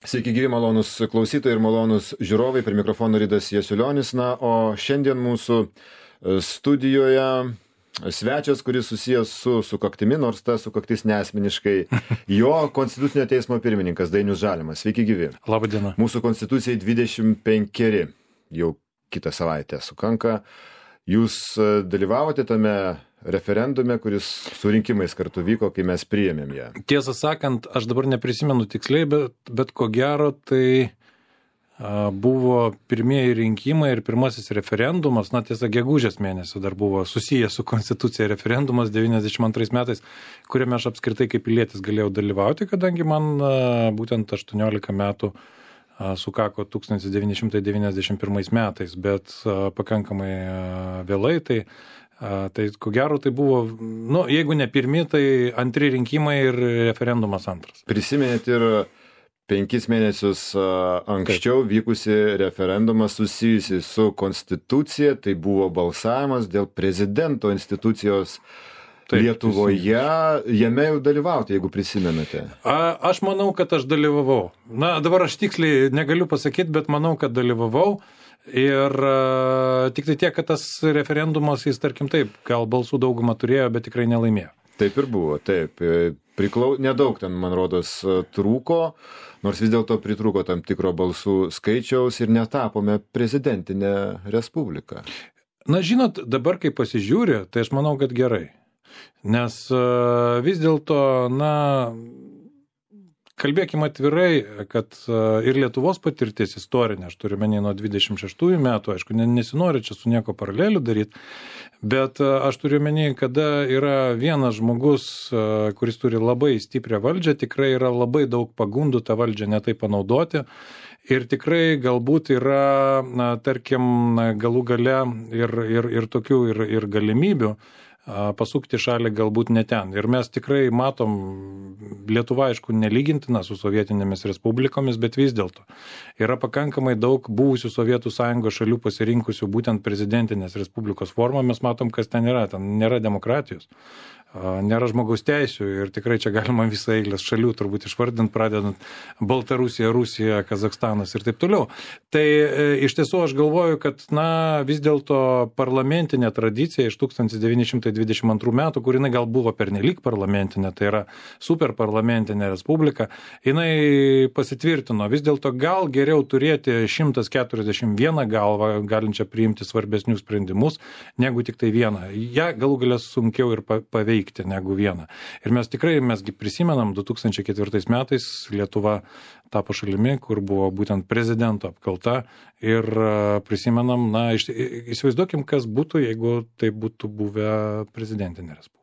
Sveiki gyvi, malonus klausytojai ir malonus žiūrovai, prie mikrofono Ridas Jasiulionis. Na, o šiandien mūsų studijoje svečias, kuris susijęs su sukaktimi, nors ta sukaktis neasmeniškai, jo Konstitucinio teismo pirmininkas Dainius Žalimas. Sveiki gyvi. Labą dieną. Mūsų Konstitucijai 25, jau kitą savaitę sukanka. Jūs dalyvavote tame referendume, kuris su rinkimais kartu vyko, kai mes priėmėm ją. Tiesą sakant, aš dabar neprisimenu tiksliai, bet ko gero tai buvo pirmieji rinkimai ir pirmasis referendumas, na tiesa, gegužės mėnesį dar buvo susijęs su Konstitucija referendumas 92 metais, kuriame aš apskritai kaip pilietis galėjau dalyvauti, kadangi man būtent 18 metų sukako 1991 metais, bet pakankamai vėlai, tai ko gero tai buvo, nu, jeigu ne pirmi, tai antri rinkimai ir referendumas antras. Prisiminėt ir 5 mėnesius anksčiau vykusi referendumą susijusi su Konstitucija, tai buvo balsavimas dėl prezidento institucijos Lietuvoje, jame jau dalyvauti, jeigu prisimenate. Aš manau, kad aš dalyvavau. Na, dabar aš tiksliai negaliu pasakyti, bet manau, kad dalyvavau. Ir tik tai tiek, kad tas referendumas, jis tarkim taip, gal balsų daugumą turėjo, bet tikrai nelaimėjo. Taip ir buvo, taip. Nedaug ten, man rodos, trūko, nors vis dėlto pritrūko tam tikro balsų skaičiaus ir netapome prezidentinę respubliką. Na, žinot, dabar kai pasižiūrė, tai aš manau, kad gerai. Nes vis dėlto, na, kalbėkime atvirai, kad ir Lietuvos patirtis istorinė, aš turiu menį nuo 26 metų, aišku, nesinori čia su nieko paralelių daryti, bet aš turiu menį, kada yra vienas žmogus, kuris turi labai stiprią valdžią, tikrai yra labai daug pagundų tą valdžią netai panaudoti ir tikrai galbūt yra, na, tarkim, galų gale ir tokių ir galimybių pasukti šalį galbūt ne ten. Ir mes tikrai matom, Lietuva, aišku, nelygintina su sovietinėmis respublikomis, bet vis dėlto yra pakankamai daug buvusių Sovietų Sąjungos šalių pasirinkusių būtent prezidentinės respublikos formą. Mes matom, kas ten nėra demokratijos, nėra žmogaus teisių ir tikrai čia galima visą eilės šalių turbūt išvardinti, pradedant Baltarusija, Rusija, Kazakstanas ir taip toliau. Tai iš tiesų aš galvoju, kad, na, vis dėlto parlamentinė tradicija iš 1922 metų, kur jinai gal buvo pernelyg parlamentinė, tai yra superparlamentinė respublika, jinai pasitvirtino. Vis dėlto gal geriau turėti 141 galvą, galinčią priimti svarbesnius sprendimus, negu tik tai vieną. Ja galų galės sunkiau ir paveikti negu vieną. Ir mes gi prisimenam, 2004 metais Lietuva tapo šalimi, kur buvo būtent prezidento apkalta ir prisimenam, na, įsivaizduokim, kas būtų, jeigu tai būtų buvę prezidentinė respublika.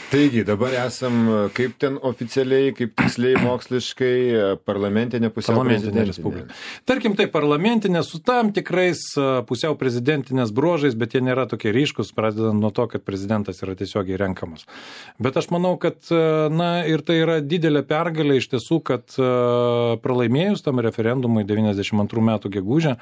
Taigi, dabar esam kaip ten oficialiai, kaip tiksliai moksliškai parlamentinė pusiau prezidentinė respublika. Tarkim, tai parlamentinė su tam tikrais pusiau prezidentinės bruožais, bet jie nėra tokie ryškus, pradedant nuo to, kad prezidentas yra tiesiogiai renkamas. Bet aš manau, kad, na, ir tai yra didelė pergalė iš tiesų, kad pralaimėjus tam referendumui 92 metų gegužę,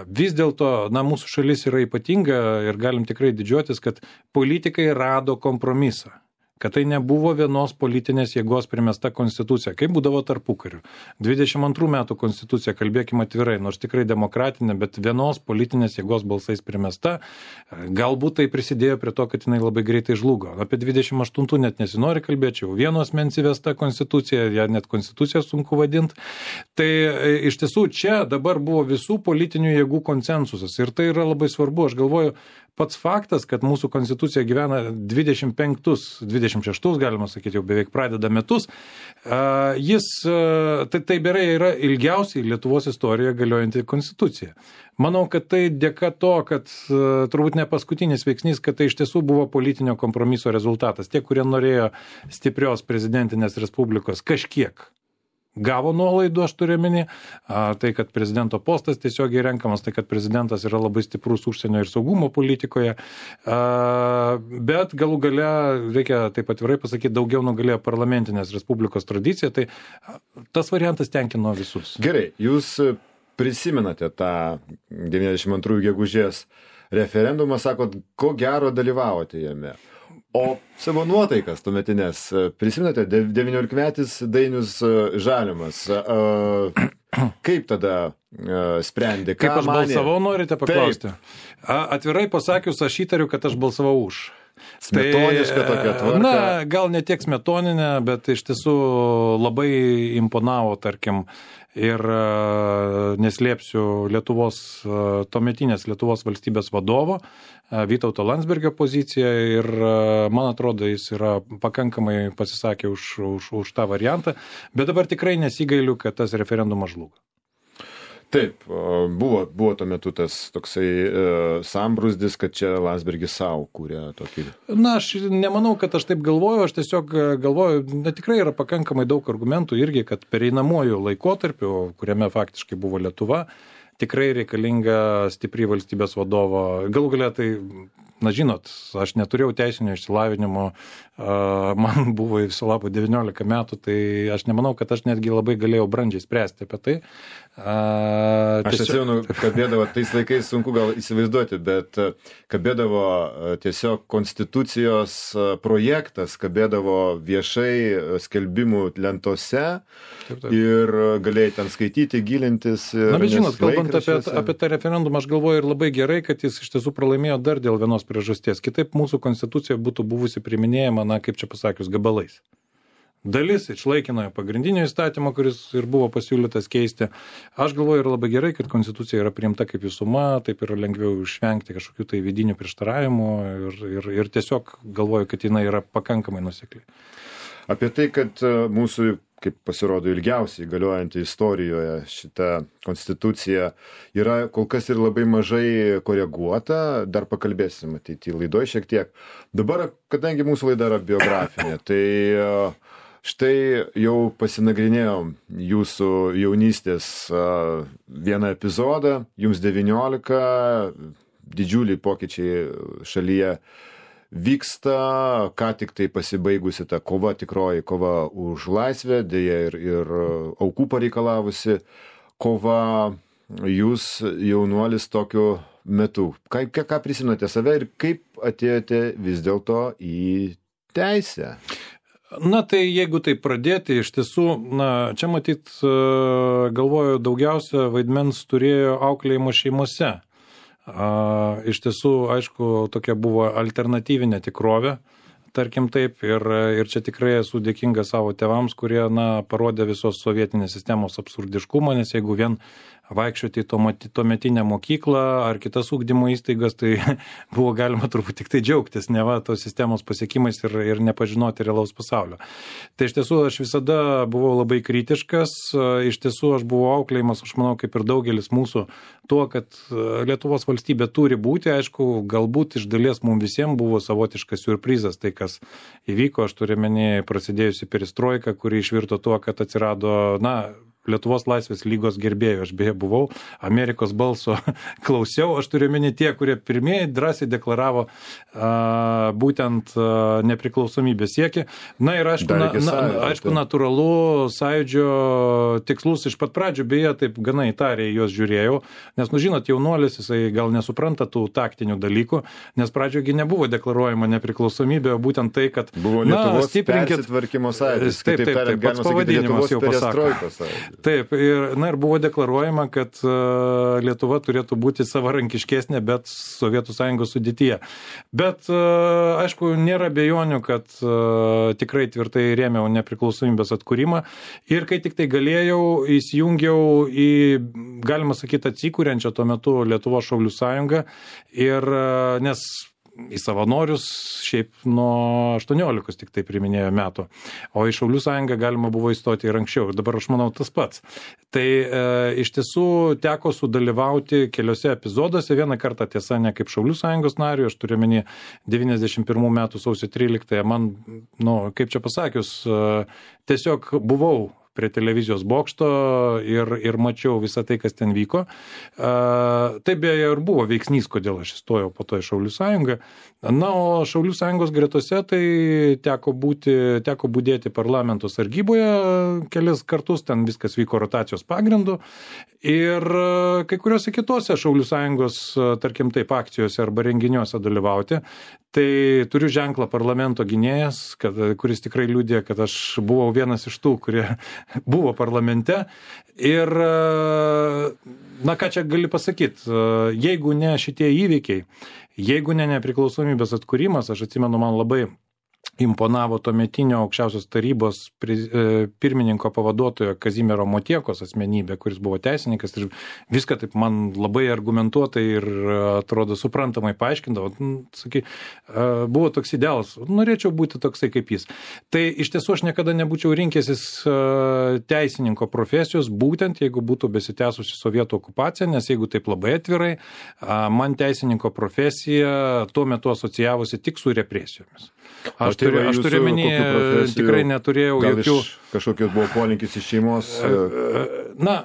vis dėlto, na, mūsų šalis yra ypatinga ir galim tikrai didžiuotis, kad politikai rado kompromisą. Kad tai nebuvo vienos politinės jėgos primesta konstitucija, kaip būdavo tarpukariu. 22 metų konstitucija, kalbėkime atvirai, nors tikrai demokratinė, bet vienos politinės jėgos balsais primesta, galbūt tai prisidėjo prie to, kad jinai labai greitai žlugo. Apie 28 net nesinori kalbėti, jau vieno asmens įvesta konstitucija, ją net konstituciją sunku vadinti. Tai iš tiesų čia dabar buvo visų politinių jėgų konsensusas ir tai yra labai svarbu. Aš galvoju, pats faktas, kad mūsų konstitucija gyvena 26, galima sakyti, jau beveik pradeda metus, tai berai yra ilgiausiai Lietuvos istorijoje galiojanti konstitucija. Manau, kad tai dėka to, kad turbūt ne paskutinis veiksnys, kad tai iš tiesų buvo politinio kompromiso rezultatas. Tie, kurie norėjo stiprios prezidentinės respublikos kažkiek gavo nuolaidų, aš turiu omeny, tai, kad prezidento postas tiesiogiai renkamas, tai, kad prezidentas yra labai stiprus užsienio ir saugumo politikoje, bet galų gale, reikia taip atvirai pasakyti, daugiau nugalėjo parlamentinės respublikos tradicija, tai tas variantas tenkino visus. Gerai, jūs prisimenate tą 92 gegužės referendumą, sakot, ko gero dalyvavote jame. O savo nuotaikas tuometinės, prisimenate, 19-metis Dainius Žalimas, kaip tada sprendė, ką Kaip aš manė? balsavau, norite paklausti? Atvirai pasakius, aš įtariu, kad aš balsavau už. Smetoniška tokia tvarka. Na, gal ne tiek smetoninė, bet iš tiesų labai imponavo, tarkim, ir neslėpsiu tuometinės Lietuvos valstybės vadovo, Vytauto Landsbergio poziciją ir man atrodo, jis yra pakankamai pasisakė už tą variantą, bet dabar tikrai nesigailiu, kad tas referendumas žlugo. Taip, buvo tuo metu tas toksai sambrūzdis, kad čia Landsbergis savo kūrė tokį. Na, aš nemanau, kad aš taip galvoju, aš tiesiog galvoju, tikrai yra pakankamai daug argumentų irgi, kad pereinamuoju laikotarpiu, kuriame faktiškai buvo Lietuva, tikrai reikalinga stipri valstybės vadovo. Galų galia tai, na žinot, aš neturėjau teisinio išsilavinimo, man buvo viso labo 19 metų, tai aš nemanau, kad aš netgi labai galėjau brandžiai spręsti apie tai. Aš atsimenu, kabėdavo, tais laikais sunku gal įsivaizduoti, bet kabėdavo tiesiog konstitucijos projektas, kabėdavo viešai skelbimų lentose ir galėjai ten skaityti, gilintis. Na, bet žinot, kalbant apie tą referendumą, aš galvoju ir labai gerai, kad jis iš tiesų pralaimėjo dar dėl vienos priežasties. Kitaip mūsų konstitucija būtų buvusi priiminėjama, na, kaip čia pasakius, gabalais. Dalis išlaikinojo pagrindinio įstatymo, kuris ir buvo pasiūlytas keisti. Aš galvoju, yra labai gerai, kad konstitucija yra priimta kaip visuma, taip yra lengviau išvengti kažkokių tai vidinių prieštaravimų ir tiesiog galvoju, kad jinai yra pakankamai nuosekli. Apie tai, kad mūsų, kaip pasirodo, ilgiausiai galiojanti istorijoje šita konstitucija yra kol kas ir labai mažai koreguota, dar pakalbėsim ateityje laidoje šiek tiek. Dabar, kadangi mūsų laida yra biografinė, tai štai jau pasinagrinėjom jūsų jaunystės vieną epizodą, jums 19, didžiuliai pokyčiai šalyje vyksta, ką tik tai pasibaigusi ta kova, tikroji kova už laisvę, dėja ir aukų pareikalavusi kova, jūs jaunuolis tokiu metu. Ką prisimenate save ir kaip atėjote vis dėlto į teisę? Na, tai jeigu tai pradėti, iš tiesų, na, čia matyt, galvoju, daugiausia vaidmens turėjo auklėjimo šeimose. Iš tiesų, aišku, tokia buvo alternatyvinė tikrovė, tarkim taip, ir čia tikrai esu dėkingas savo tėvams, kurie, na, parodė visos sovietinės sistemos absurdiškumą, nes jeigu vien vaikščioti į tuometinę mokyklą ar kitas ugdymo įstaigas, tai buvo galima turbūt tik tai džiaugtis, neva tos sistemos pasiekimais ir nepažinoti realaus pasaulio. Tai iš tiesų aš visada buvau labai kritiškas, iš tiesų aš buvau auklėjimas, aš manau, kaip ir daugelis mūsų, tuo, kad Lietuvos valstybė turi būti, aišku, galbūt iš dalies mums visiems buvo savotiškas siurprizas, tai kas įvyko, aš turiu omeny prasidėjusi perestroika, kuri išvirto tuo, kad atsirado, na, Lietuvos laisvės lygos gerbėjų, aš beje buvau, Amerikos balso klausiau, aš turiu omeny tie, kurie pirmieji drąsiai deklaravo būtent nepriklausomybės siekį. Na ir aišku, natūralu, sąjūdžio tikslus iš pat pradžių, beje, taip gana įtariai juos žiūrėjau, nes, nu žinot, jaunuolis, jisai gal nesupranta tų taktinių dalykų, nes pradžiogi nebuvo deklaruojama nepriklausomybė, o būtent tai, kad buvo Lietuvos persitvarkymo sąjūdis, taip, pats pavadinimas jau pasako. Taip, ir buvo deklaruojama, kad Lietuva turėtų būti savarankiškesnė, bet Sovietų Sąjungos sudėtyje. Bet, aišku, nėra abejonių, kad tikrai tvirtai rėmiau nepriklausomybės atkūrimą. Ir kai tik tai galėjau, įsijungiau į, galima sakyti, atsikūrenčią tuo metu Lietuvos Šaulių Sąjungą. Ir nes į savanorius šiaip nuo 18 tik tai priminėjo metų, o į Šaulių sąjungą galima buvo įstoti ir anksčiau, ir dabar aš manau tas pats. Tai iš tiesų teko sudalyvauti keliose epizoduose, vieną kartą tiesa ne kaip Šaulių sąjungos narių, aš turiu omeny 91 metų sausio 13, man, nu, kaip čia pasakius, tiesiog buvau prie televizijos bokšto ir mačiau visą tai, kas ten vyko. Tai beje ir buvo veiksnys, kodėl aš įstojau po to į Šaulių sąjungą. Na, o Šaulių sąjungos gretose tai teko budėti parlamento sargyboje kelis kartus, ten viskas vyko rotacijos pagrindu. Ir kai kuriuose kitose Šaulių sąjungos, tarkim taip, akcijose arba renginiuose dalyvauti. Tai turiu ženklą parlamento gynėjas, kuris tikrai liudija, kad aš buvau vienas iš tų, kurie buvo parlamente. Ir, na ką čia gali pasakyti, jeigu ne šitie įvykiai, jeigu ne nepriklausomybės atkūrimas, aš atsimenu, man labai imponavo tuometinio aukščiausios tarybos pirmininko pavaduotojo Kazimiero Motiekos asmenybė, kuris buvo teisininkas ir viską taip man labai argumentuotai ir atrodo suprantamai paaiškindavo. Buvo toks idealas, norėčiau būti toksai kaip jis. Tai iš tiesų aš niekada nebūčiau rinkęsis teisininko profesijos, būtent jeigu būtų besitęsusi sovietų okupacija, nes jeigu taip labai atvirai, man teisininko profesija tuo metu asocijavosi tik su represijomis. Aš turiu menį, tikrai neturėjau jokių... Kažkokios buvo polinkis iš šeimos? Na,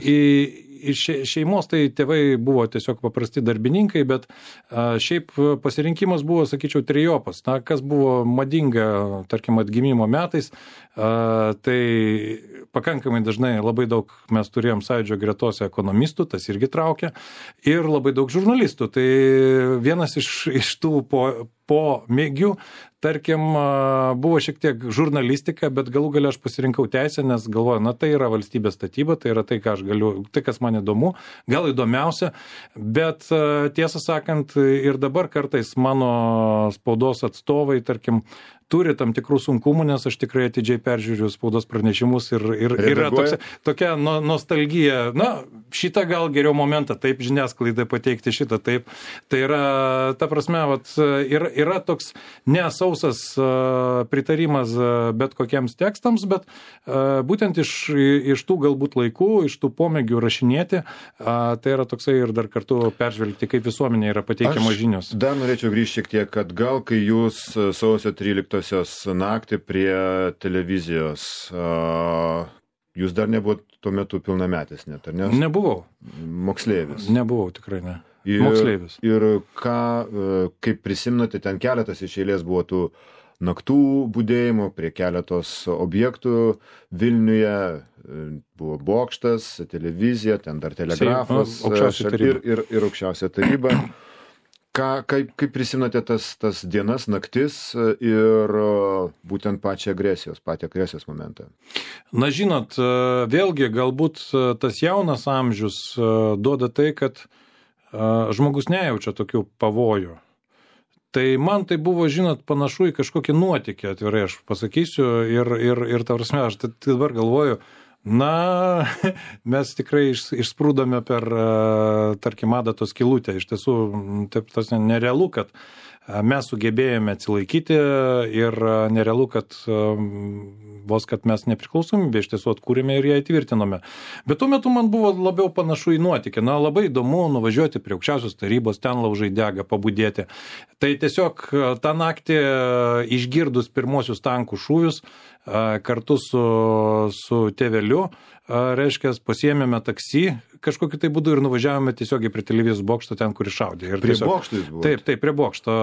iš šeimos tai tėvai buvo tiesiog paprasti darbininkai, bet šiaip pasirinkimas buvo, sakyčiau, trijopas. Na, kas buvo madinga, tarkim, atgimimo metais, tai pakankamai dažnai labai daug mes turėjom sąjūdžio gretose ekonomistų, tas irgi traukia, ir labai daug žurnalistų. Tai vienas iš tų pomėgių, tarkim, buvo šiek tiek žurnalistika, bet galų gale aš pasirinkau teisę, nes galvoju, na tai yra valstybės statyba, tai yra tai, ką aš galiu, tai kas man įdomu, gal įdomiausia, bet tiesą sakant, ir dabar kartais mano spaudos atstovai, tarkim, turi tam tikrų sunkumų, nes aš tikrai atidžiai peržiūriu spaudos pranešimus ir yra tokia nostalgija. Na, šitą gal geriau momentą, taip žiniasklaidai pateikti šitą, taip. Tai yra, ta prasme, yra toks nesausas pritarimas bet kokiems tekstams, bet būtent iš tų galbūt laikų, iš tų pomėgių rašinėti, tai yra toksai ir dar kartu peržvelgti, kaip visuomenė yra pateikiamos žinios. Dar norėčiau grįžti šiek tiek, kad gal kai jūs sausio 13 naktį prie televizijos, jūs dar nebuvot tuo metu pilnametis net, ar ne? Nebuvau. Moksleivis. Nebuvau, tikrai ne. Moksleivis. Ir kaip prisimnate, ten keletas iš eilės buvo tų naktų budėjimų prie keletos objektų Vilniuje, buvo bokštas, televizija, ten dar telegrafas ir aukščiausia taryba. Kaip prisimenate tas dienas, naktis ir būtent patį agresijos momentą? Na, žinot, vėlgi galbūt tas jaunas amžius duoda tai, kad žmogus nejaučia tokių pavojų. Tai man tai buvo, žinot, panašu į kažkokį nuotykį, atvirai aš pasakysiu, ir ta prasme, aš dabar galvoju, na, mes tikrai išsprūdome per, tarkim, adatos skylutę. Iš tiesų, taip, tas nerealu, kad mes sugebėjome atsilaikyti ir nerealu, kad vos kad mes nepriklausomybę iš tiesų atkūrėme ir ją įtvirtinome. Bet tuo metu man buvo labiau panašu į nuotykį. Na, labai įdomu nuvažiuoti prie aukščiausios tarybos, ten laužai dega, pabudėti. Tai tiesiog tą naktį išgirdus pirmosius tankų šūvius, kartu su tėveliu, reiškia, pasiėmėme taksi kažkokiu tai būdu ir nuvažiavome tiesiogiai prie televizijos bokšto ten, kur iššaudė. Ir prie bokšto jūs buvote? Taip, prie bokšto.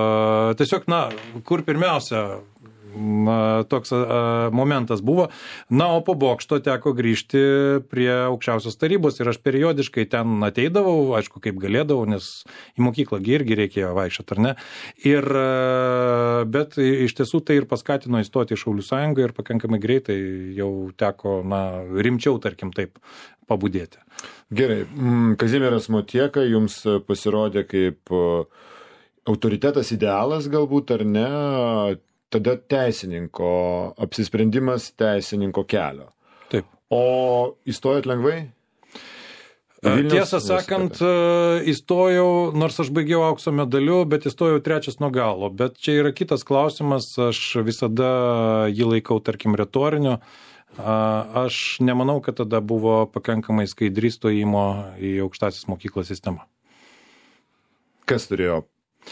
Tiesiog, na, kur pirmiausia toks momentas buvo. Na, o po bokšto teko grįžti prie aukščiausios tarybos ir aš periodiškai ten ateidavau, aišku, kaip galėdavau, nes į mokyklą irgi reikėjo vaikščioti, ar ne. Bet iš tiesų tai ir paskatino įstoti į Šaulių sąjungą ir pakankamai greitai jau teko, na, rimčiau, tarkim, taip pabudėti. Gerai. Kazimieras Motieka jums pasirodė kaip autoritetas idealas galbūt, ar ne? Tada teisininko apsisprendimas teisininko kelio. Taip. O įstojot lengvai? Tiesą sakant, įstojau, nors aš baigiau aukso medaliu, bet įstojau 3 nuo galo. Bet čia yra kitas klausimas, aš visada jį laikau, tarkim, retoriniu. Aš nemanau, kad tada buvo pakankamai skaidri stojimo į aukštąsias mokyklas sistema. Kas turėjo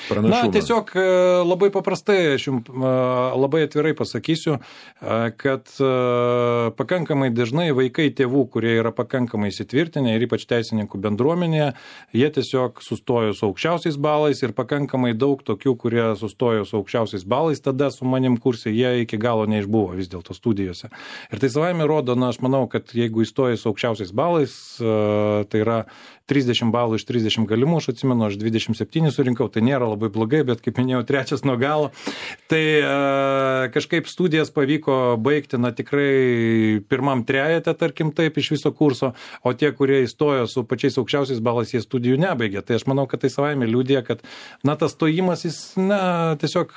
pranašumą? Na, tiesiog labai paprastai, aš jums labai atvirai pasakysiu, kad pakankamai dažnai vaikai tėvų, kurie yra pakankamai įsitvirtinę ir ypač teisininkų bendruomenėje, jie tiesiog sustojo su aukščiausiais balais ir pakankamai daug tokių, kurie sustojo su aukščiausiais balais, tada su manim kursai jie iki galo neišbuvo vis dėlto studijose. Ir tai savaime rodo, aš manau, kad jeigu įstoji su aukščiausiais balais, tai yra 30 balų iš 30 galimų, aš atsimenu, aš 27 surinkau, tai nėra labai blogai, bet kaip minėjau, trečias nuo galo. Tai kažkaip studijas pavyko baigti, tikrai pirmam trejete, tarkim taip, iš viso kurso, o tie, kurie įstojo su pačiais aukščiausiais balais, jie studijų nebaigė. Tai aš manau, kad tai savaime liudija, kad, tas stojimas, jis, tiesiog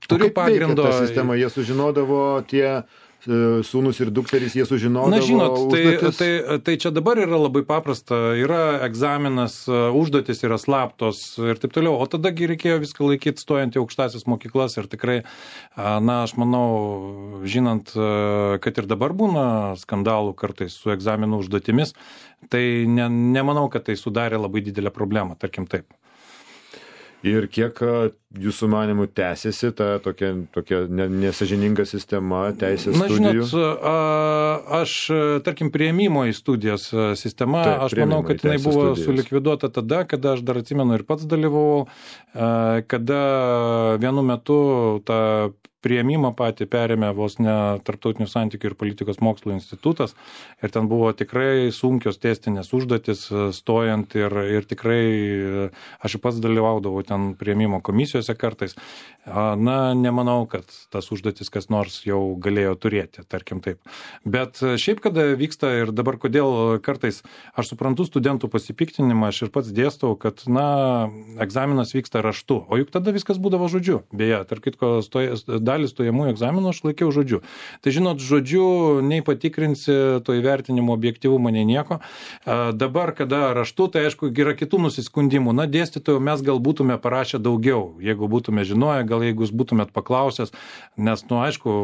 turiu pagrindo. Ta sistema, jie sužinodavo tie sūnus ir dukterys, jie sužinodavo. Na, žinot, tai čia dabar yra labai paprasta, yra egzaminas, užduotis yra slaptos ir taip toliau, o tadagi reikėjo viską laikyti stojant į aukštasias mokyklas ir tikrai, aš manau, žinant, kad ir dabar būna skandalų kartais su egzaminų užduotimis, tai nemanau, kad tai sudarė labai didelę problemą, tarkim taip. Ir kiek jūsų manimų tęsiasi ta tokia nesažininga sistema teisės studijų? Žinot, aš, tarkim, priėmimo į studijas sistema, aš manau, kad jinai buvo sulikviduota tada, kada aš dar atsimenu ir pats dalyvavau, kada vienu metu tą priėmimą patį perėmė vos ne Tarptautinių santykių ir politikos mokslų institutas ir ten buvo tikrai sunkios testinės užduotis stojant ir tikrai aš pats dalyvaudavau ten priėmimo komisijose kartais. Nemanau, kad tas užduotis kas nors jau galėjo turėti, tarkim taip. Bet šiaip, kada vyksta ir dabar kodėl kartais aš suprantu studentų pasipiktinimą, aš ir pats dėstau, kad, egzaminas vyksta raštu, o juk tada viskas būdavo žodžiu. Beje, tarp kitko, dalį stojamųjų egzaminų aš laikiau žodžiu. Tai žinot, žodžiu nei patikrinsi to įvertinimo objektyvumą, nei nieko. Dabar, kada raštu, tai aišku, yra kitų nusiskundimų. Dėstytojų mes gal būtume parašę daugiau, jeigu būtume žinoję, gal jeigu jūs būtumėt paklausęs, nes, aišku,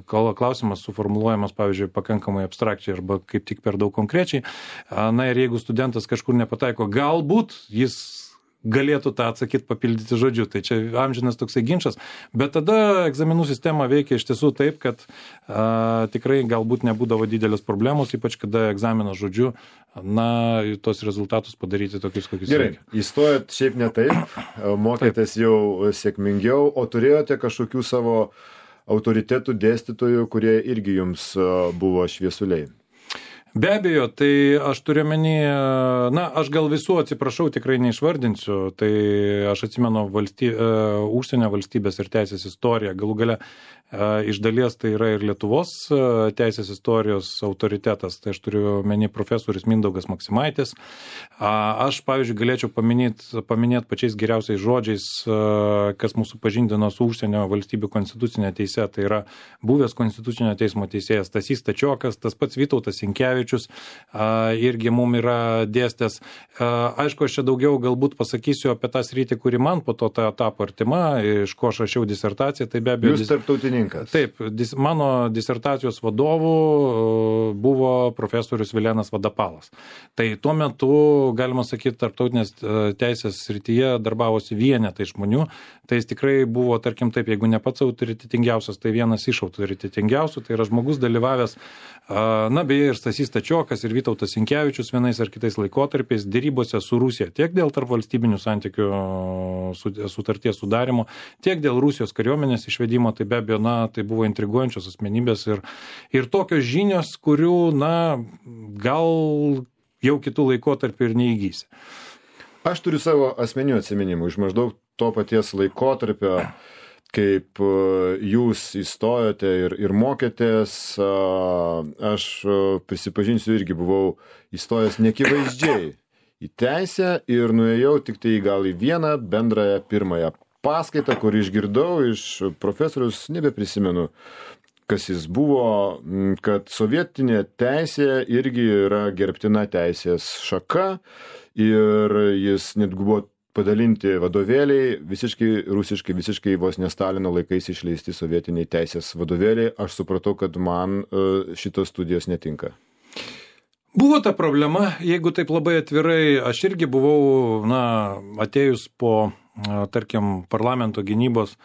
klausimas suformuluojamas, pavyzdžiui, pakankamai abstrakčiai arba kaip tik per daug konkrečiai. Ir jeigu studentas kažkur nepataiko, galbūt jis galėtų tą atsakyti, papildyti žodžiu. Tai čia amžinas toksai ginčas. Bet tada egzaminų sistema veikia iš tiesų taip, kad tikrai galbūt nebūdavo didelės problemos, ypač kada egzaminas žodžiu, tos rezultatus padaryti tokius, kokius reikia. Gerai, įstojot šiaip ne taip, mokėtės jau sėkmingiau, o turėjote kažkokių savo autoritetų dėstytojų, kurie irgi jums buvo šviesuliai? Be abejo, tai aš turiu menį, aš gal visų atsiprašau, tikrai neišvardinsiu, tai aš atsimenu užsienio valstybės ir teisės istoriją, galų gale iš dalies tai yra ir Lietuvos teisės istorijos autoritetas, tai aš turiu menį profesorius Mindaugas Maksimaitis. Aš, pavyzdžiui, galėčiau paminėti pačiais geriausiais žodžiais, kas mūsų pažindino su užsienio valstybių konstitucinė teise, tai yra buvęs konstitucinio teismo teisėjas Stasys Stačiokas, tas pats Vytautas Sinkevičius irgi mum yra dėstęs. Aišku, aš čia daugiau galbūt pasakysiu apie tą sritį, kuri man po to tapo artima, iš ko aš rašiau disertaciją, tai be abejo. Jūs tarptautininkas. Taip, mano disertacijos vadovų buvo profesorius Vilenas Vadapalas. Tai tuo metu, galima sakyti, tarptautinės teisės srityje darbavosi vienetai žmonių, tai jis tikrai buvo, tarkim taip, jeigu ne pats autoritetingiausias, tai vienas iš autoritetingiausių, tai yra žmogus dalyvavęs, beje, ir Stasys Stačiokas, ir Vytautas Sinkevičius vienais ar kitais laikotarpiais dėrybose su Rusija, tiek dėl tarpvalstybinių santykių sutarties sudarimo, tiek dėl Rusijos kariuomenės išvedimo, tai be abejo, tai buvo intriguojančios asmenybės ir tokios žinios, kurių, gal jau kitų laikotarpių ir neįgysi. Aš turiu savo asmeninių atsiminimų iš maždaug to paties laikotarpio, kaip jūs įstojote ir mokėtės. Aš prisipažinsiu, irgi buvau įstojęs nekivaizdžiai į teisę ir nuėjau tik tai gal į vieną bendrąją pirmąją paskaitą, kur išgirdau iš profesorius, nebeprisimenu, kas jis buvo, kad sovietinė teisė irgi yra gerbtina teisės šaka ir jis netgi buvo padalinti vadovėliai, visiškai rusiškai, visiškai vos ne Stalino laikais išleisti sovietiniai teisės vadovėliai. Aš supratau, kad man šitos studijos netinka. Buvo ta problema, jeigu taip labai atvirai, aš irgi buvau, atėjus po tarkim, parlamento gynybos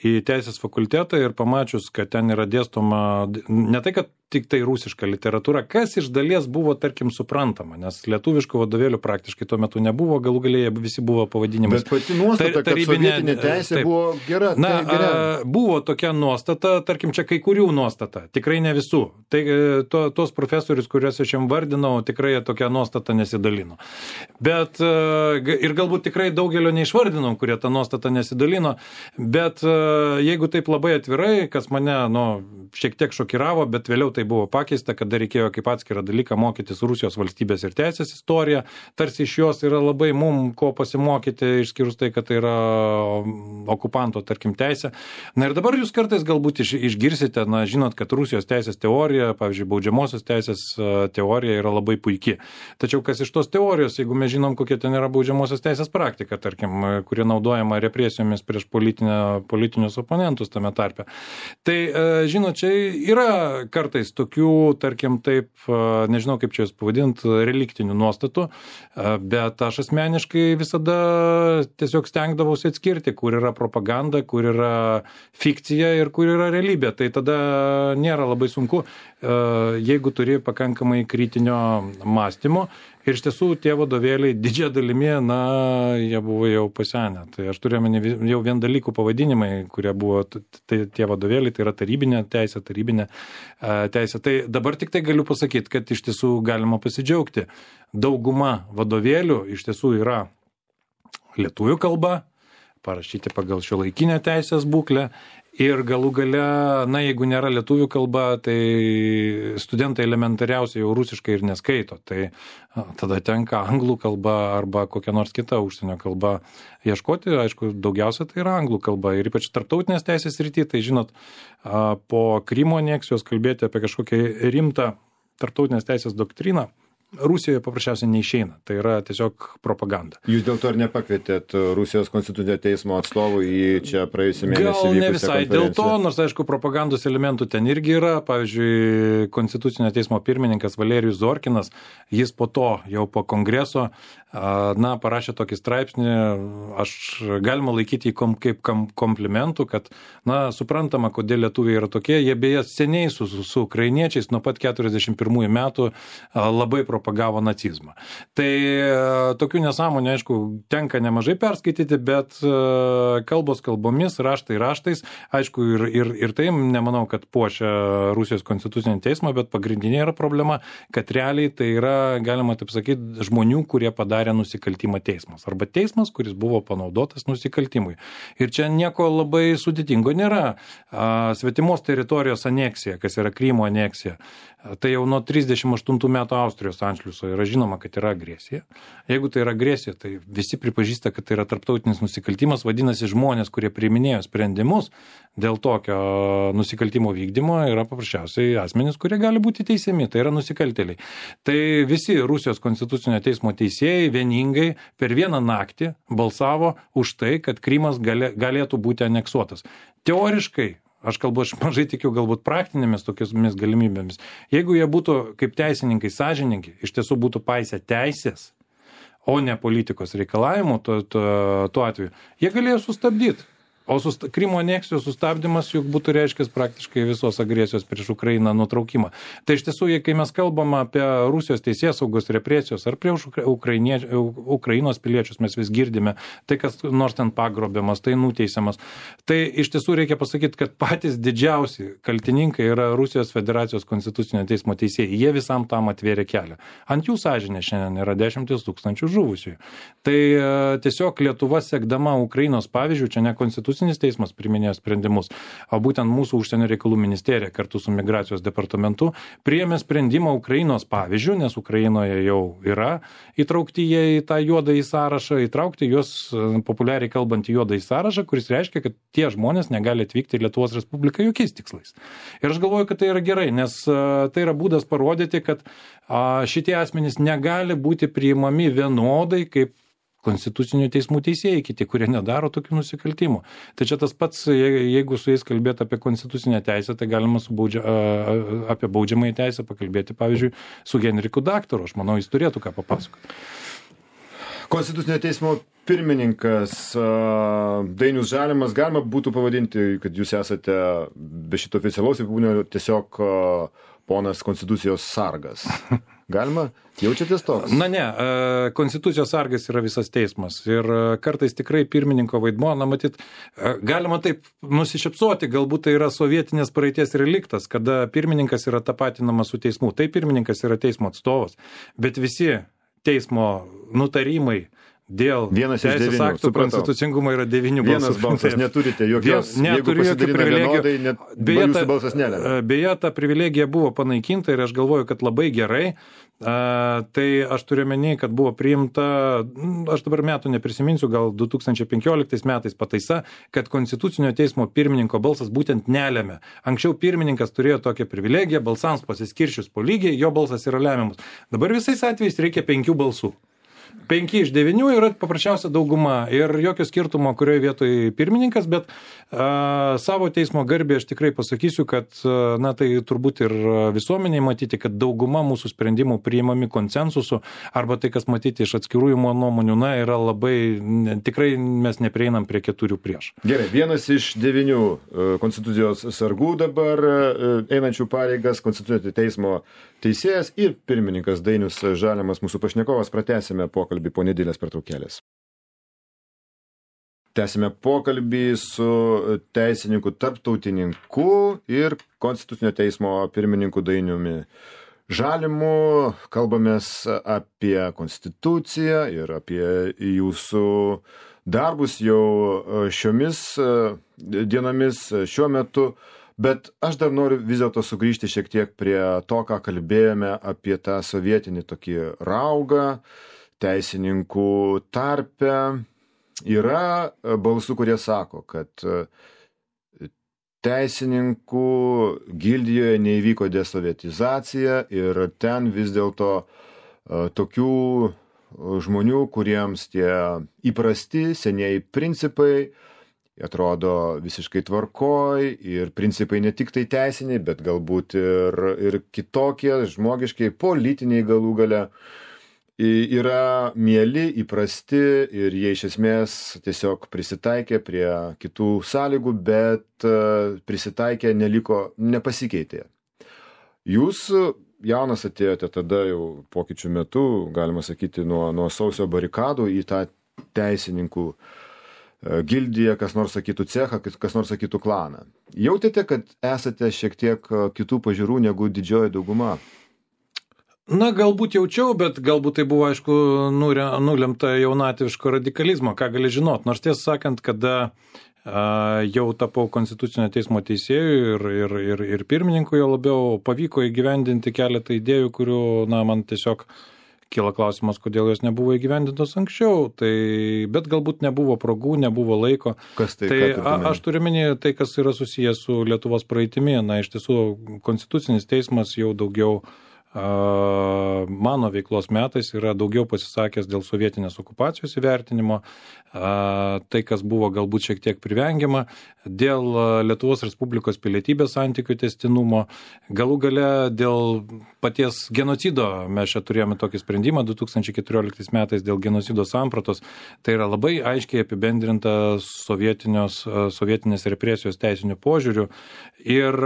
į teisės fakultetą ir pamačius, kad ten yra dėstoma, ne tai, kad tik tai rusiška literatūra, kas iš dalies buvo, tarkim, suprantama, nes lietuviškų vadovėlių praktiškai tuo metu nebuvo, galų galėje visi buvo pavadinimais. Bet pati nuostata, kad sovietinė teisė taip, buvo gera. Buvo tokia nuostata, tarkim, čia kai kurių nuostata, tikrai ne visų. Tai tos profesorius, kuriuos aš jam vardinau, tikrai tokia nuostata nesidalino. Bet ir galbūt tikrai daugelio neišvardinau, kurie tą nuostatą nesidalino, bet jeigu taip labai atvirai, kas mane, šiek tiek šokiravo, bet vėliau tai buvo pakeista, kada reikėjo kaip atskirą dalyką mokytis Rusijos valstybės ir teisės istoriją, tarsi iš jos yra labai mum ko pasimokyti, išskyrus tai, kad tai yra okupanto, tarkim, teisė. Na ir dabar jūs kartais galbūt išgirsite, žinot, kad Rusijos teisės teorija, pavyzdžiui, baudžiamosios teisės teorija yra labai puiki. Tačiau kas iš tos teorijos, jeigu mes žinom, kokia ten yra baudžiamosios teisės praktika, tarkim, kuri naudojama represijomis prieš politinius oponentus tame tarpe. Tai, žinot, čia yra kartais tokių, tarkim, taip, nežinau kaip čia jūs pavadint, reliktinių nuostatų, bet aš asmeniškai visada tiesiog stengdavausi atskirti, kur yra propaganda, kur yra fikcija ir kur yra realybė. Tai tada nėra labai sunku, jeigu turi pakankamai kritinio mąstymo. Ir iš tiesų tie vadovėliai didžia dalimi, jie buvo jau pasenę. Tai aš turiu jau vien dalykų pavadinimai, kurie buvo tie vadovėliai, tai yra tarybinė teisė. Tai dabar tik tai galiu pasakyti, kad iš tiesų galima pasidžiaugti. Dauguma vadovėlių iš tiesų yra lietuvių kalba, parašyti pagal šiuolaikinę teisės būklę. Ir galų gale, jeigu nėra lietuvių kalba, tai studentai elementariausiai jau rusiškai ir neskaito. Tai tada tenka anglų kalba arba kokia nors kita užsienio kalba ieškoti. Aišku, daugiausia tai yra anglų kalba. Ir ypač tarptautinės teisės srity, tai žinot, po Krymo aneksijos kalbėti apie kažkokią rimtą tarptautinės teisės doktriną Rusijoje paprasčiausiai neišeina. Tai yra tiesiog propaganda. Jūs dėl to ir nepakvietėt Rusijos konstitucinio teismo atstovų į čia praėjusį mėnesį vykusią konferenciją? Gal ne visai dėl to, nors aišku, propagandos elementų ten irgi yra. Pavyzdžiui, konstitucinio teismo pirmininkas Valerijus Zorkinas, jis po to, jau po kongreso, parašė tokį straipsnį, aš galima laikyti jį kaip komplimentų, kad, suprantama, kodėl lietuviai yra tokie, jie beje seniai su ukrainiečiais nuo pat 41 metų labai propagavo nacizmą. Tai tokių nesąmonių, aišku, tenka nemažai perskaityti, bet kalbos kalbomis, raštai raštais, aišku, ir tai nemanau, kad puošia Rusijos konstitucinį teismą, bet pagrindinė yra problema, kad realiai tai yra, galima taip sakyti, žmonių, kurie padarė nusikaltimą teismas. Arba teismas, kuris buvo panaudotas nusikaltimui. Ir čia nieko labai sudėtingo nėra. Svetimos teritorijos aneksija, kas yra Krymo aneksija, tai jau nuo 38 metų Austrijos anšliuso yra žinoma, kad yra agresija. Jeigu tai yra agresija, tai visi pripažįsta, kad tai yra tarptautinis nusikaltimas, vadinasi žmonės, kurie priiminėjo sprendimus dėl tokio nusikaltimo vykdymo, yra paprasčiausiai asmenys, kurie gali būti teisiami, tai yra nusikaltėliai. Tai visi Rusijos konstitucinio teismo teisėjai vieningai per vieną naktį balsavo už tai, kad Krymas galėtų būti aneksuotas. Teoriškai, aš mažai tikiu galbūt praktinėmis tokiamis galimybėmis. Jeigu jie būtų kaip teisininkai sąžiningi, iš tiesų būtų paisę teisės, o ne politikos reikalavimų tuo atveju, jie galėjo sustabdyti. O Krymo aneksijos sustabdymas juk būtų reiškęs praktiškai visos agresijos prieš Ukrainą nutraukimą. Tai iš tiesų, kai mes kalbam apie Rusijos teisėsaugos represijos ar prieš Ukrainos piliečius, mes vis girdime, tai kas nors ten pagrobiamas, tai nuteisiamas. Tai iš tiesų reikia pasakyti, kad patys didžiausi kaltininkai yra Rusijos federacijos konstitucinio teismo teisėjai. Jie visam tam atvėrė kelią. Ant jų sąžinė šiandien yra 10 000 žuvusiųjų. Tai tiesiog Lietuva sekdama Ukrainos pavyzdžių, čia ne konstitucinis teismas priminėjo sprendimus, o būtent mūsų užsienio reikalų ministerija kartu su migracijos departamentu priėmė sprendimą Ukrainos pavyzdžių, nes Ukrainoje jau yra įtraukti jie į tą juodąjį sąrašą, įtraukti juos populiariai kalbant į juodąjį sąrašą, kuris reiškia, kad tie žmonės negali atvykti į Lietuvos Respubliką jokiais tikslais. Ir aš galvoju, kad tai yra gerai, nes tai yra būdas parodyti, kad šitie asmenys negali būti priimami vienodai kaip konstitucinių teismų teisėjai, kiti, kurie nedaro tokių nusikaltimų. Tai čia tas pats, jeigu su jais kalbėti apie konstitucinę teisę, tai galima apie baudžiamąją teisę pakalbėti, pavyzdžiui, su Henriku Daktaru. Aš manau, jis turėtų ką papasakoti. Konstitucinio teismo pirmininkas Dainius Žalimas, galima būtų pavadinti, kad jūs esate be šito oficialaus apibūdinimo tiesiog ponas Konstitucijos sargas. Galima? Jaučiatės toks? Na ne, Konstitucijos sargas yra visas teismas ir kartais tikrai pirmininko vaidmuo, na matyt, galima taip nusišypsoti, galbūt tai yra sovietinės praeities reliktas, kada pirmininkas yra tapatinamas su teismu. Tai pirmininkas yra teismo atstovas, bet visi teismo nutarimai dėl teisės aktų konstitucingumo yra 9 balsų. Vienas balsas neturite jokios, jeigu pasidalina vienodai, jūsų balsas nelemia. Beje, ta privilegija buvo panaikinta ir aš galvoju, kad labai gerai. Tai aš turiu menį, kad buvo priimta, aš dabar metų neprisiminsiu, gal 2015 metais pataisa, kad Konstitucinio teismo pirmininko balsas būtent nelemia. Anksčiau pirmininkas turėjo tokią privilegiją, balsams pasiskirčius po lygiai, jo balsas yra lemiamas. Dabar visais atvejais reikia 5 balsų. 5 iš 9 yra paprasčiausia dauguma ir jokio skirtumo, kurioje vietoje pirmininkas, bet savo teismo garbė aš tikrai pasakysiu, kad na tai turbūt ir visuomeniai matyti, kad dauguma mūsų sprendimų priimami konsensusu arba tai, kas matyti iš atskirųjų nuomonių, na yra labai, tikrai mes neprieinam prie 4 prieš. Gerai, vienas iš 9 Konstitucijos sargų dabar einančių pareigas, Konstitucinio teismo teisėjas ir pirmininkas Dainius Žalimas, mūsų pašnekovas, pratęsime pokalbį po nedėlės pertraukėlės. Tęsime pokalbį su teisininku, tarptautininku ir Konstitucinio teismo pirmininku Dainiumi Žalimu. Kalbamės apie Konstituciją ir apie jūsų darbus jau šiomis dienomis, šiuo metu. Bet aš dar noriu vis dėlto sugrįžti šiek tiek prie to, ką kalbėjome apie tą sovietinį tokį raugą teisininkų tarpe. Yra balsų, kurie sako, kad teisininkų gildijoje neįvyko desovietizacija ir ten vis dėlto tokių žmonių, kuriems tie įprasti senieji principai atrodo visiškai tvarkoj ir principai ne tik tai teisiniai, bet galbūt ir kitokie, žmogiškai, politiniai galų gale yra mieli, įprasti ir jie iš esmės tiesiog prisitaikė prie kitų sąlygų, bet prisitaikė, nepasikeitė. Jūs jaunas atėjote tada jau pokyčių metu, galima sakyti, nuo sausio barikadų į tą teisininkų gildiją, kas nors sakytų cechą, kas nors sakytų klaną. Jautėte, kad esate šiek tiek kitų pažiūrų negu didžioji dauguma? Na, galbūt jaučiau, bet galbūt tai buvo, aišku, nulemta jaunatviško radikalizmo, ką gali žinot. Nors tiesą sakant, kada jau tapau Konstitucinio teismo teisėjų ir pirmininku, jo labiau pavyko įgyvendinti keletą idėjų, kurių, na, man tiesiog kyla klausimas, kodėl jos nebuvo įgyvendintos anksčiau, bet galbūt nebuvo progų, nebuvo laiko. Kas tai? Aš turiu menį tai, kas yra susijęs su Lietuvos praeitimi. Na, iš tiesų, Konstitucinis teismas jau daugiau mano veiklos metais yra daugiau pasisakęs dėl sovietinės okupacijos įvertinimo, tai, kas buvo galbūt šiek tiek privengiama, dėl Lietuvos Respublikos pilietybės santykių tęstinumo, galų gale dėl paties genocido. Mes čia turėjome tokį sprendimą 2014 metais dėl genocido sampratos. Tai yra labai aiškiai apibendrinta sovietinės represijos teisinių požiūrių. Ir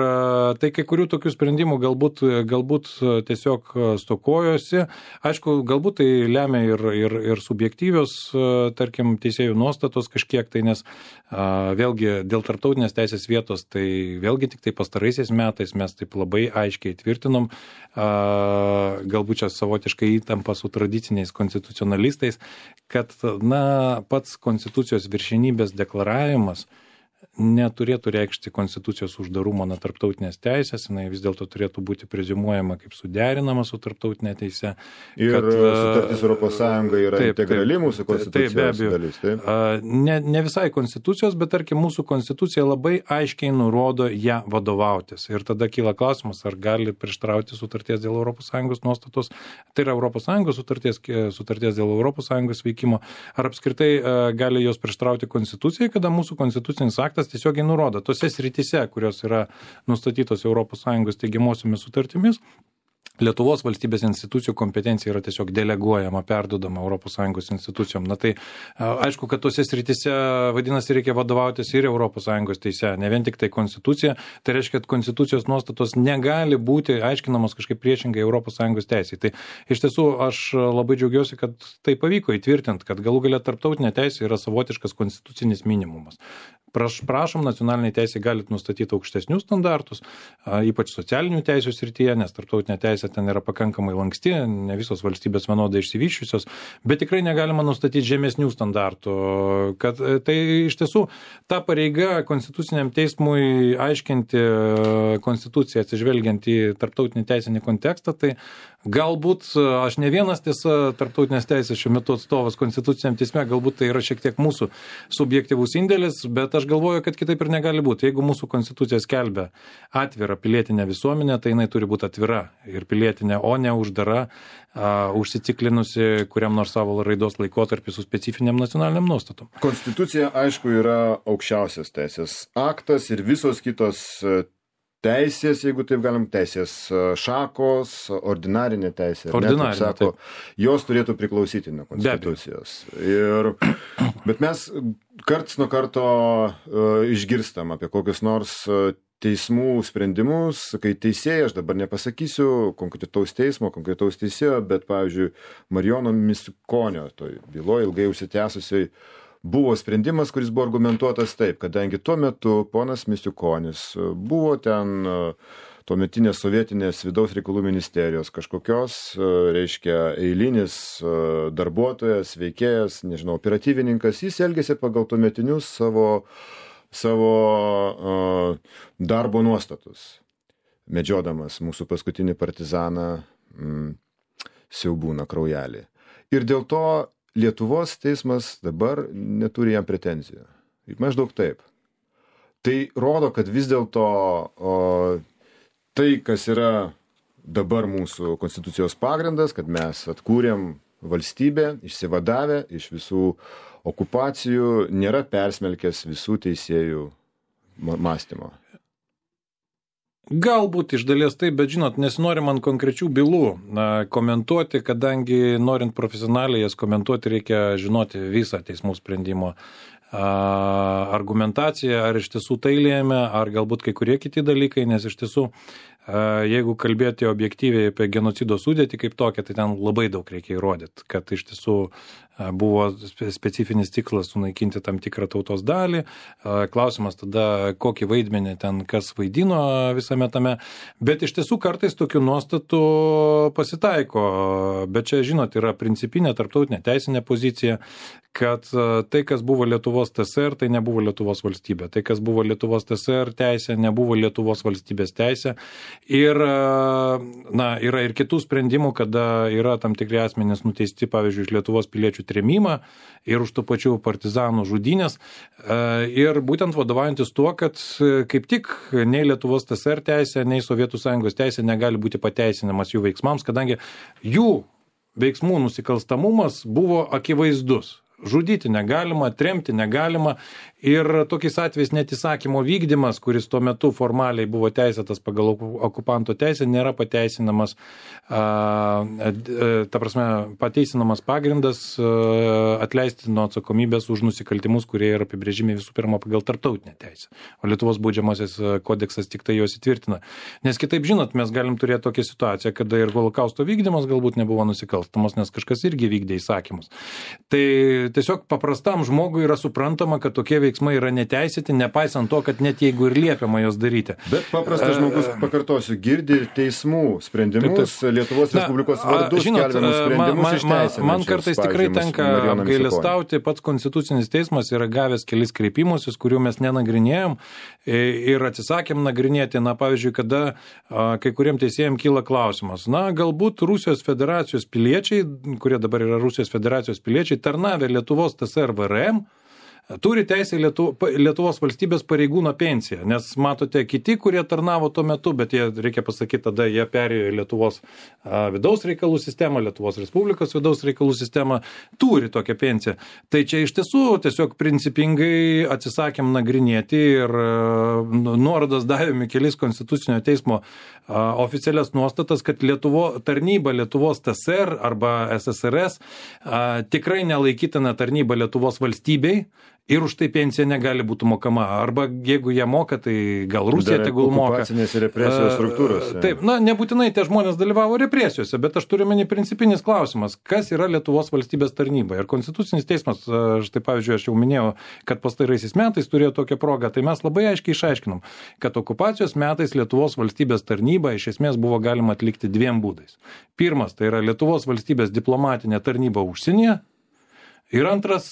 tai kai kurių tokių sprendimų galbūt tiesiog stokojosi. Aišku, galbūt tai lemia ir subjektyvios, tarkim, teisėjų nuostatos kažkiek, tai nes vėlgi dėl tarptautinės teisės vietos, tai vėlgi tik tai pastaraisiais metais mes taip labai aiškiai tvirtinom, galbūt čia savotiškai įtampa su tradiciniais konstitucionalistais, kad, na, pats konstitucijos viršenybės deklaravimas neturėtų reikšti konstitucijos uždarumo nuo tarptautinės teisės, jinai vis dėlto turėtų būti preziumuojama kaip suderinama su tarptautinė teise. Ir sutartis Europos Sąjunga yra integrali mūsų konstitucijos dalis. Taip. Ne visai konstitucijos, bet tarkim mūsų konstitucija labai aiškiai nurodo ją vadovautis. Ir tada kyla klausimas, ar gali prieštarauti sutarties dėl Europos Sąjungos nuostatos, tai yra Europos Sąjungos sutarties dėl Europos Sąjungos veikimo, ar apskritai gali jos prieštarauti konstitucijai, kada mūsų konstitucinis aktas tiesiogiai nurodo tose srityse, kurios yra nustatytos ES teigiamosiomis sutartimis, Lietuvos valstybės institucijų kompetencija yra tiesiog deleguojama, perduodama ES institucijom. Na tai aišku, kad tose srityse, vadinasi, reikia vadovautis ir ES teise, ne vien tik tai konstitucija. Tai reiškia, kad konstitucijos nuostatos negali būti aiškinamos kažkaip priešingai ES teisei. Tai iš tiesų aš labai džiaugiuosi, kad tai pavyko įtvirtinti, kad galų galia tarptautinė teisė yra savotiškas konstitucinis minimumas. Prašom, nacionaliniai teisė galit nustatyti aukštesnius standartus, ypač socialinių teisių srityje, nes tarptautinė teisė ten yra pakankamai lanksti, ne visos valstybės vienodai išsivysčiusios, bet tikrai negalima nustatyti žemesnių standartų. Kad tai iš tiesų ta pareiga konstituciniam teismui aiškinti konstituciją atsižvelgiant į tarptautinį teisinį kontekstą, tai galbūt aš ne vienas tiesa tarptautinės teisės šiuo metu atstovas konstituciniam teisme, galbūt tai yra šiek tiek mūsų subjektyvus indėlis, bet aš galvoju, kad kitaip ir negali būti. Jeigu mūsų konstitucija skelbia atvirą pilietinę visuomenę, tai jinai turi būti atvira ir pilietinė, o ne uždara, užsiciklinusi kuriam nors savo raidos laikotarpį su specifiniam nacionaliniam nuostatom. Konstitucija, aišku, yra aukščiausias teisės aktas ir visos kitos teisės, jeigu taip galim, teisės šakos, ordinarinė teisė, jos turėtų priklausyti nuo konstitucijos. Bet mes karts nuo karto išgirstam apie kokius nors teismų sprendimus, kai teisėjai, aš dabar nepasakysiu konkretaus teismo, konkretaus teisėjo, bet, pavyzdžiui, Marijono Misiukonio toj byloje ilgai užsitęsusiai buvo sprendimas, kuris buvo argumentuotas taip, kadangi tuo metu ponas Misiukonis buvo ten tuometinės sovietinės vidaus reikalų ministerijos kažkokios, reiškia, eilinis darbuotojas, veikėjas, nežinau, operatyvininkas, jis elgėsi pagal tuometinius savo darbo nuostatus, medžiodamas mūsų paskutinį partizaną Siaubūną Kraujelį. Ir dėl to Lietuvos teismas dabar neturi jam pretenzijų. Maždaug taip. Tai rodo, kad vis dėlto tai, kas yra dabar mūsų konstitucijos pagrindas, kad mes atkūrėm valstybę, išsivadavę iš visų okupacijų, nėra persmelkęs visų teisėjų mąstymo. Galbūt iš dalies taip, bet žinot, nesinori man konkrečių bylų komentuoti, kadangi norint profesionaliai jas komentuoti, reikia žinoti visą teismų sprendimo argumentaciją, ar iš tiesų tai lėmė, ar galbūt kai kurie kiti dalykai, nes iš tiesų, jeigu kalbėti objektyviai apie genocido sudėtį kaip tokią, tai ten labai daug reikia įrodyti, kad iš tiesų buvo specifinis tikslas sunaikinti tam tikrą tautos dalį. Klausimas tada, kokį vaidmenį ten kas vaidino visame tame. Bet iš tiesų kartais tokių nuostatų pasitaiko. Bet čia, žinot, yra principinė tarptautinė teisinė pozicija, kad tai, kas buvo Lietuvos TSR, tai nebuvo Lietuvos valstybė. Tai, kas buvo Lietuvos TSR teisė, nebuvo Lietuvos valstybės teisė. Ir yra ir kitų sprendimų, kada yra tam tikri asmenys nuteisti, pavyzdžiui, iš Lietuvos piliečių trėmimą ir už tų pačių partizanų žudynės. Ir būtent vadovaujantis tuo, kad kaip tik nei Lietuvos TSR teisė, nei Sovietų Sąjungos teisė negali būti pateisinamas jų veiksmams, kadangi jų veiksmų nusikalstamumas buvo akivaizdus. Žudyti negalima, tremti negalima ir tokiais atvejais net įsakymo vykdymas, kuris tuo metu formaliai buvo teisėtas pagal okupanto teisę, nėra pateisinamas, pateisinamas pagrindas atleisti nuo atsakomybės už nusikaltimus, kurie yra apibrėžimi visų pirma pagal tarptautinę teisę. O Lietuvos baudžiamasis kodeksas tik tai juos įtvirtina. Nes kitaip, žinot, mes galim turėti tokią situaciją, kada ir holokausto vykdymas galbūt nebuvo nusikalstamas, nes kažkas irgi vykdė įsakymus. Tai tiesiog paprastam žmogui yra suprantama, kad tokie veiksmai yra neteisėti, nepaisant to, kad net jeigu ir liepiama jos daryti. Bet paprastas žmogus, pakartosiu, girdi teismų sprendimus, Lietuvos Respublikos vardu skelbiamus sprendimus išteisinančius. Man kartais tikrai tenka apgailestauti, pats Konstitucinis teismas yra gavęs kelis kreipimusius, kurių mes nenagrinėjom ir atsisakėm nagrinėti. Pavyzdžiui, kada kai kuriem teisėjams kyla klausimas, galbūt Rusijos federacijos piliečiai, kurie dabar yra Rusijos federacijos piliečiai, tarnavę Lietuvos TSR VRM, turi teisę Lietuvos valstybės pareigūno pensiją, nes matote, kiti, kurie tarnavo tuo metu, bet jie, reikia pasakyti, tada jie perėjo į Lietuvos vidaus reikalų sistemą, Lietuvos Respublikos vidaus reikalų sistemą, turi tokią pensiją. Tai čia iš tiesų tiesiog principingai atsisakėm nagrinėti ir nuorodas davėme kelis Konstitucinio teismo oficialias nuostatas, kad tarnyba Lietuvos TSR arba SSRS tikrai nelaikytina tarnyba Lietuvos valstybei ir už tai pensija negali būti mokama. Arba jeigu jie moka, tai gal Rusija tegul moka. Okupacinės represijos struktūros. Taip, nebūtinai tie žmonės dalyvavo represijose, bet aš turiu meni principinis klausimas, kas yra Lietuvos valstybės tarnyba. Ir Konstitucinis teismas, štai pavyzdžiui, aš jau minėjau, kad pastaraisiais metais turėjo tokią progą, tai mes labai aiškiai išaiškinom, kad okupacijos metais Lietuvos valstybės tarnyba iš esmės buvo galima atlikti dviem būdais. Pirmas, tai yra Lietuvos valstybės diplomatinė tarnyba užsienyje. Ir antras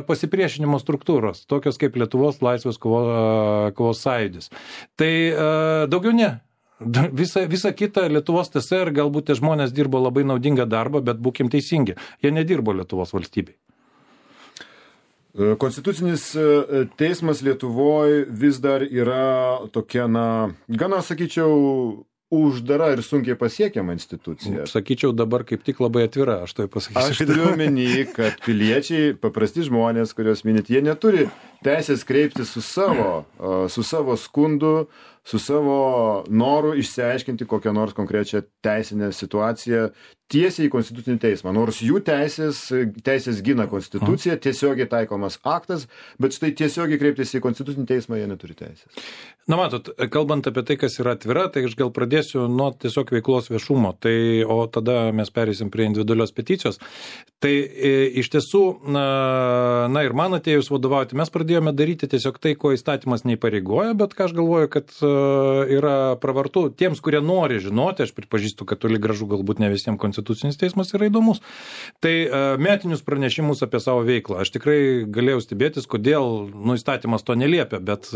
pasipriešinimo struktūros, tokios kaip Lietuvos laisvės kovos sąjūdis. Tai daugiau ne. Visa kita Lietuvos TSR, galbūt tie žmonės dirbo labai naudingą darbą, bet būkim teisingi, jie nedirbo Lietuvos valstybei. Konstitucinis teismas Lietuvoje vis dar yra tokia, gana, sakyčiau, uždara ir sunkiai pasiekiama institucija. Sakyčiau, dabar kaip tik labai atvira, aš tai pasakysiu. Aš turiu omeny, kad piliečiai, paprasti žmonės, kuriuos minit, jie neturi teisės kreiptis su savo skundu, su savo noru išsiaiškinti kokią nors konkrečią teisinę situaciją tiesiai į Konstitucinį teismą. Nors jų teisės gina Konstitucija, tiesiogiai taikomas aktas, bet štai tiesiogiai kreiptis į Konstitucinį teismą jie neturi teisės. Na matot, kalbant apie tai, kas yra atvira, tai aš gal pradėsiu nuo tiesiog veiklos viešumo, o tada mes perėsim prie individualios peticijos. Tai iš tiesų, ir man atėjus vadovauti, mes pradėjome daryti tiesiog tai, ko įstatymas neįpareigoja, bet ką aš galvoju, kad yra pravartu tiems, kurie nori žinoti, aš pripažįstu, kad toli gražu galbūt ne visiems Konstitucinis teismas yra įdomus. Tai metinius pranešimus apie savo veiklą. Aš tikrai galėjau stebėtis, kodėl įstatymas to neliepia, bet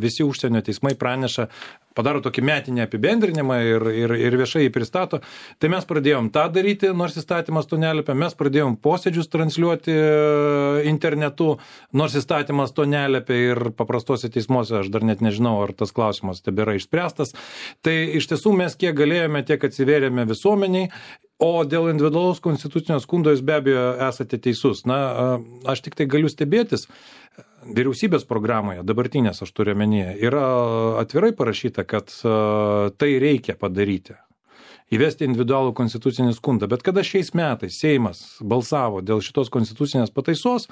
visi užsienio teismai praneša, padaro tokį metinį apibendrinimą ir viešai jį pristato. Tai mes pradėjom tą daryti, nors įstatymas to neliepia. Mes pradėjom posėdžius transliuoti internetu, nors įstatymas to neliepia ir paprastose teismuose, aš dar net nežinau, ar tas klausimas tebėra išspręstas. Tai iš tiesų mes kiek galėjome, tiek atsivėrėme visuomeniai. O dėl individualaus konstitucinio skundo jūs be abejo esate teisus. Aš tik tai galiu stebėtis. Vyriausybės programoje, dabartinės aš turiu omenyje, yra atvirai parašyta, kad tai reikia padaryti. Įvesti individualų konstitucinį skundą. Bet kada šiais metais Seimas balsavo dėl šitos konstitucinės pataisos,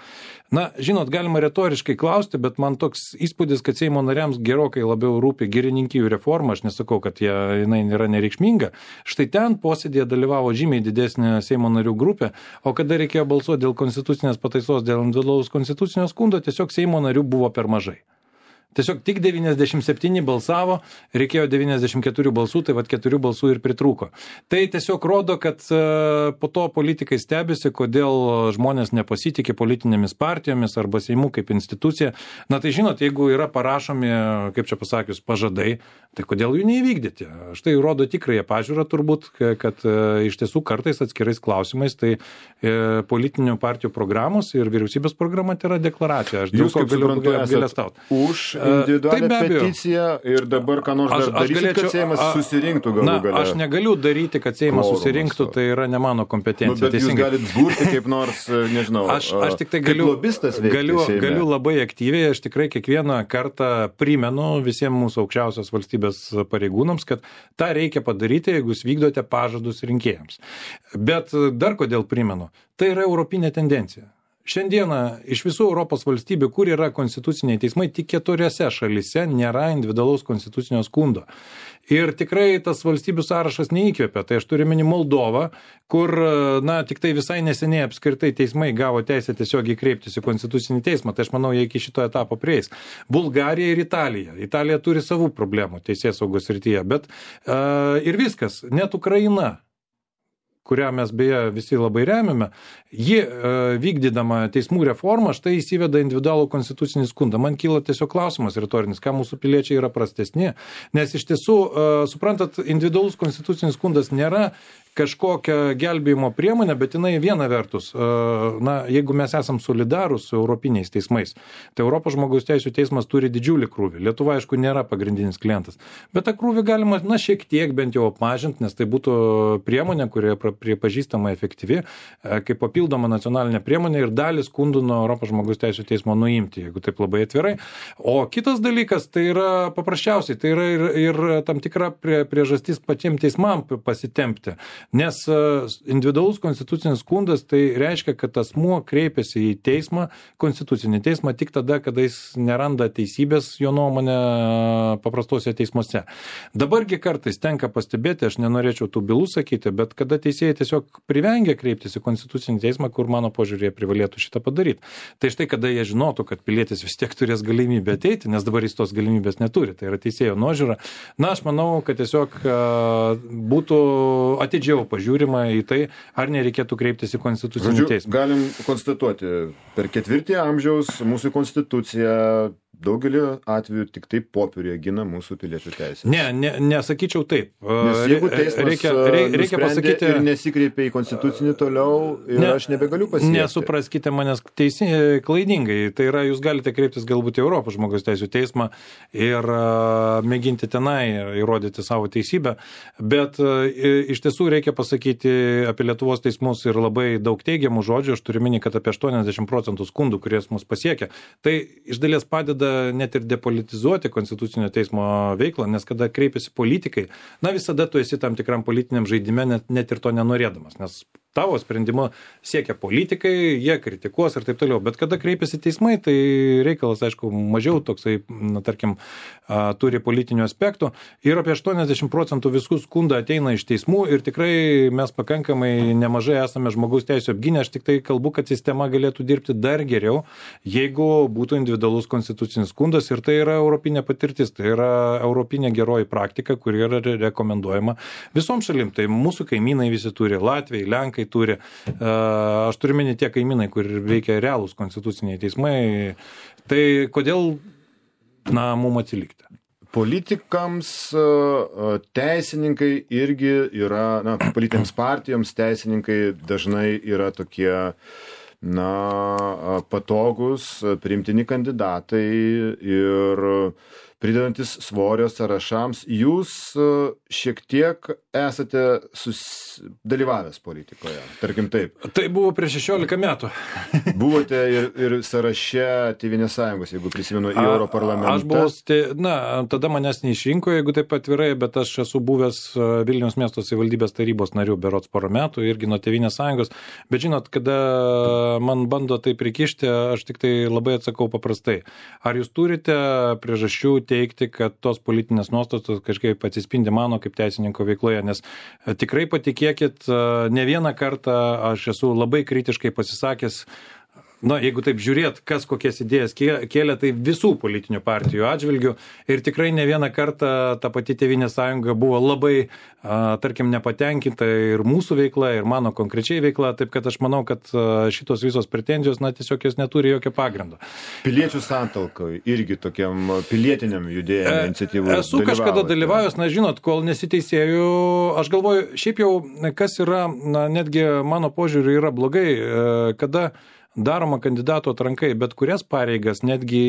žinot, galima retoriškai klausti, bet man toks įspūdis, kad Seimo nariams gerokai labiau rūpi girininkijų reforma, aš nesakau, kad jinai yra nereikšminga. Štai ten posėdėje dalyvavo žymiai didesnė Seimo narių grupė, o kada reikėjo balsuoti dėl konstitucinės pataisos, dėl individualaus konstitucinio skundo, tiesiog Seimo narių buvo per mažai. Tiesiog tik 97 balsavo, reikėjo 94 balsų, tai 4 balsų ir pritrūko. Tai tiesiog rodo, kad po to politikai stebisi, kodėl žmonės nepasitikė politinėmis partijomis arba Seimu kaip institucija. Tai žinot, jeigu yra parašomi, kaip čia pasakius, pažadai, tai kodėl jų neįvykdyti? Štai rodo tikrąją pažiūrą turbūt, kad iš tiesų kartais atskirais klausimais tai politinių partijų programos ir vyriausybės programa tai yra deklaracija. Aš dėl ko galiu apgailestauti. Už individualią peticiją ir dabar ką nors dar darysit, kad Seimas susirinktų galų gale. Aš negaliu daryti, kad Seimas susirinktų, tai yra ne mano kompetencija. Bet jūs galit būti kaip nors, nežinau, aš tik tai galiu labai aktyviai, aš tikrai kiekvieną kartą primenu visiems mūsų aukščiausios valstybės pareigūnams, kad tą reikia padaryti, jeigu jūs vykdote pažadus rinkėjams. Bet dar kodėl primenu, tai yra europinė tendencija. Šiandieną iš visų Europos valstybių, kur yra konstituciniai teismai, tik 4 šalyse nėra individualaus konstitucinio skundo. Ir tikrai tas valstybių sąrašas neįkvėpia. Tai aš turiu omeny Moldovą, kur, tik tai visai neseniai apskritai teismai gavo teisę tiesiogiai kreiptis į konstitucinį teismą. Tai aš manau, jie iki šito etapo prieis. Bulgarija ir Italija. Italija turi savų problemų teisėsaugos srityje, bet ir viskas. Net Ukraina, kurią mes beje visi labai remiame, ji vykdydama teismų reformą štai įsiveda individualų konstitucinį skundą. Man kyla tiesiog klausimas retorinis, ką mūsų piliečiai yra prastesni, nes iš tiesų, suprantat, individualus konstitucinis skundas nėra kažkokią gelbėjimo priemonę, bet jinai viena vertus, jeigu mes esam solidarūs su europiniais teismais, tai Europos žmogaus teisų teismas turi didžiulį krūvį. Lietuva, aišku, nėra pagrindinis klientas, bet tą krūvį galima, šiek tiek bent jau apmažinti, nes tai būtų priemonė, kuri pripažįstama efektyvi, kaip papildoma nacionalinė priemonė ir dalį skundų nuo Europos žmogaus teisų teismo nuimti, jeigu taip labai atvirai. O kitas dalykas, tai yra paprasčiausiai, tai yra ir tam tikra priežastis pačiam teismam pasitempti. Nes individualus konstitucinis skundas tai reiškia, kad asmuo kreipiasi į teismą, konstitucinį teismą, tik tada, kada jis neranda teisybės, jo nuomonė, paprastuose teismuose. Dabargi kartais tenka pastebėti, aš nenorėčiau tų bylų sakyti, bet kada teisėjai tiesiog privengia kreiptis į konstitucinį teismą, kur mano požiūrėje privalėtų šitą padaryti. Tai štai, kada jie žinotų, kad pilietis vis tiek turės galimybę ateiti, nes dabar jis tos galimybės neturi, tai yra teisėjo nuožiūra. Aš manau, kad tiesiog būtų atidžiau pažiūrima į tai, ar nereikėtų kreiptis į konstitucinį teismą. Galim konstatuoti, per 4 amžiaus mūsų konstitucija daugelį atvejų tik taip popieriuje gina mūsų piliečių teisės. Nesakyčiau taip. Nes jeigu teismas reikia pasakyti ir nesikreipia į konstitucinį toliau ir aš nebegaliu pasiekti. Nesupraskite manęs klaidingai. Tai yra, jūs galite kreiptis galbūt į Europos žmogaus teisų teismą ir mėginti tenai įrodyti savo teisybę, bet iš tiesų reikia pasakyti apie Lietuvos teismus ir labai daug teigiamų žodžių. Aš turiu minėti, kad apie 80% skundų, kurie mus pasiekia, tai iš dalies padeda net ir depolitizuoti konstitucinio teismo veiklą, nes kada kreipiasi politikai, visada tu esi tam tikram politiniam žaidime, net ir to nenorėdamas, nes tavo sprendimo siekia politikai, jie kritikuos ir taip toliau, bet kada kreipiasi teismai, tai reikalas, aišku, mažiau toksai, tarkim, turi politinių aspektų ir apie 80% visų skundų ateina iš teismų ir tikrai mes pakankamai nemažai esame žmogaus teisų apgynę, aš tik tai kalbu, kad sistema galėtų dirbti dar geriau, jeigu būtų individualus konstitucinis skundas ir tai yra europinė patirtis, tai yra europinė geroji praktika, kuri yra rekomenduojama visom šalim, tai mūsų kaimynai visi turi, Latvijai, Lenkai turi, aš turiu minėti tie kaimynai, kur veikia realūs konstituciniai teismai, tai kodėl, mum atsilikti? Politikams teisininkai irgi yra, politinėms partijoms teisininkai dažnai yra tokie, patogus, priimtini kandidatai ir pridedantis svorio sąrašams. Jūs šiek tiek esate dalyvavęs politikoje, tarkim taip. Tai buvo prieš 16 metų. Buvote ir sąraše Tėvynės sąjungos, jeigu prisimenu, į Europarlamentą. Aš buvau, tada manęs neišrinko, jeigu taip atvirai, bet aš esu buvęs Vilniaus miesto savivaldybės tarybos narių berods porą metų, irgi nuo Tėvynės sąjungos. Bet žinot, kada man bando tai prikišti, aš tik tai labai atsakau paprastai. Ar jūs turite priežasčių teikti, kad tos politinės nuostatos kažkaip atsispindi mano kaip teisininko veikloje, nes tikrai patikėkit, ne vieną kartą aš esu labai kritiškai pasisakęs, jeigu taip žiūrėt, kas kokias idėjas kėlė, tai visų politinių partijų atžvilgių ir tikrai ne vieną kartą ta pati Tėvynės sąjunga buvo labai, tarkim, nepatenkinta ir mūsų veikla, ir mano konkrečiai veikla, taip kad aš manau, kad šitos visos pretenzijos, tiesiog jos neturi jokio pagrindo. Piliečių santalkai irgi tokiam pilietiniam judėjimui iniciatyvų esu kažkada dalyvavęs, žinot, kol nesiteisėjau, aš galvoju, šiaip jau, kas yra, netgi mano požiūriu yra blogai, kada daroma kandidato atrankai, bet kurias pareigas, netgi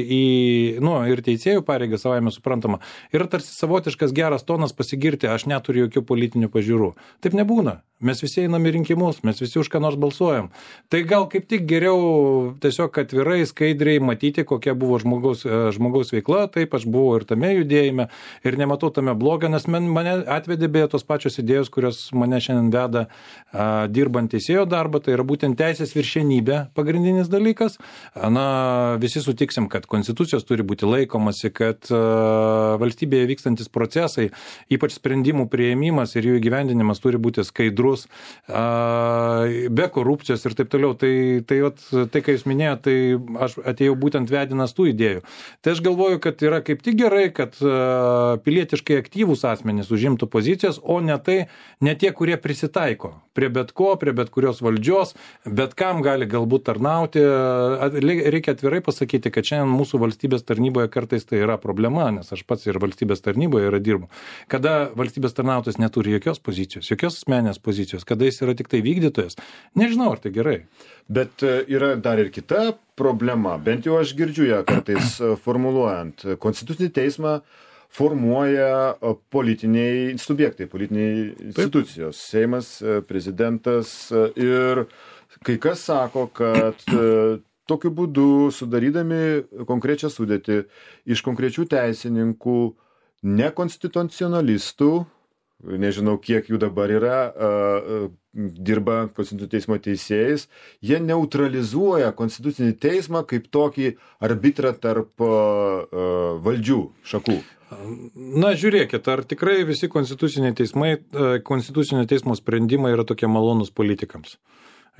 ir teisėjų pareigas, savaime suprantama, yra tarsi savotiškas geras tonas pasigirti, aš neturiu jokių politinių pažiūrų. Taip nebūna. Mes visi einame į rinkimus, mes visi už ką nors balsuojam. Tai gal kaip tik geriau tiesiog atvirai, skaidriai matyti, kokia buvo žmogaus veikla, taip aš buvau ir tame judėjime ir nematau tame blogą, nes mane atvedė beje tos pačios idėjos, kurios mane šiandien veda dirbant teisėjo darbą, tai yra būtent teisės viršenybė pagrindinis dalykas. Visi sutiksim, kad konstitucijos turi būti laikomasi, kad valstybėje vykstantis procesai, ypač sprendimų priėmimas ir jų įgyvendinimas turi būti skaidrus. be korupcijos ir taip toliau. Tai ką jūs minėjote, tai aš atėjau būtent vedinas tų idėjų. Tai aš galvoju, kad yra kaip tik gerai, kad pilietiškai aktyvūs asmenys užimtų pozicijas, o ne tie, kurie prisitaiko prie bet ko, prie bet kurios valdžios, bet kam gali galbūt tarnauti. Reikia atvirai pasakyti, kad šiandien mūsų valstybės tarnyboje kartais tai yra problema, nes aš pats ir valstybės tarnyboje dirbu. Kada valstybės tarnautojas neturi jokios pozicijos, jokios asmenės pozicijos, kada jis yra tik tai vykdytojas, nežinau, ar tai gerai. Bet yra dar ir kita problema, bent jau aš girdžiu ją kartais formuluojant. Konstitucinį teismą formuoja politiniai subjektai, politiniai institucijos, Seimas, prezidentas, ir kai kas sako, kad tokiu būdu, sudarydami konkrečią sudėtį iš konkrečių teisininkų, nekonstitucionalistų, nežinau kiek jų dabar yra, dirba Konstitucinio teismo teisėjais, jie neutralizuoja Konstitucinį teismą kaip tokį arbitrą tarp valdžių šakų. Na, žiūrėkit, ar tikrai visi Konstitucinio teismo sprendimai yra tokie malonūs politikams?